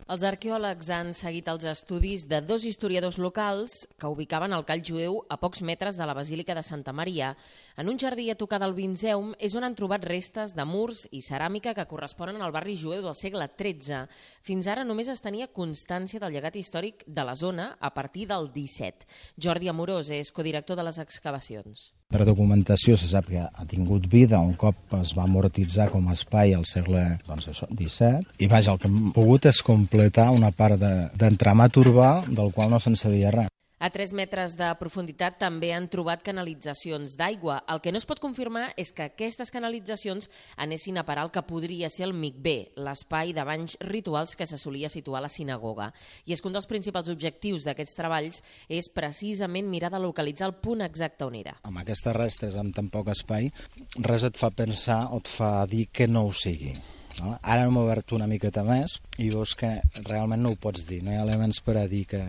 Els arqueòlegs han seguit els estudis de dos historiadors locals que ubicaven el call jueu a pocs metres de la Basílica de Santa Maria. En un jardí a tocar del Vinzeum és on han trobat restes de murs i ceràmica que corresponen al barri jueu del segle XIII. Fins ara només es tenia constància del llegat històric de la zona a partir del XVII. Jordi Amorós és codirector de les excavacions. Per documentació se sap que ha tingut vida un cop es va amortitzar com a espai al segle XVII i vaja, el que hem pogut és completar una part d'entramat urbà del qual no se'n sabia res. A 3 metres de profunditat també han trobat canalitzacions d'aigua. El que no es pot confirmar és que aquestes canalitzacions anessin a parar el que podria ser el mikvé, l'espai de banys rituals que se solia situar a la sinagoga. I és que un dels principals objectius d'aquests treballs és precisament mirar de localitzar el punt exacte on era. Amb aquestes restes amb tan poc espai, res et fa pensar o et fa dir que no ho sigui. Ara hem obert una miqueta més i veus que realment no ho pots dir. No hi ha elements per a dir que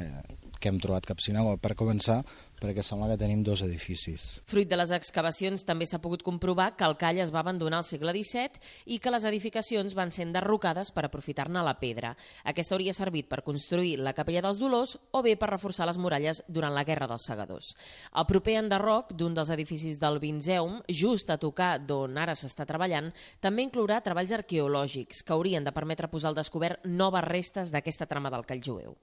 hem trobat cap sinagoga. Per començar, perquè sembla que tenim dos edificis. Fruit de les excavacions també s'ha pogut comprovar que el call es va abandonar al segle XVII i que les edificacions van ser enderrocades per aprofitar-ne la pedra. Aquesta hauria servit per construir la Capella dels Dolors o bé per reforçar les muralles durant la Guerra dels Segadors. El proper enderroc d'un dels edificis del Vinzeum, just a tocar d'on ara s'està treballant, també inclourà treballs arqueològics que haurien de permetre posar al descobert noves restes d'aquesta trama del call jueu.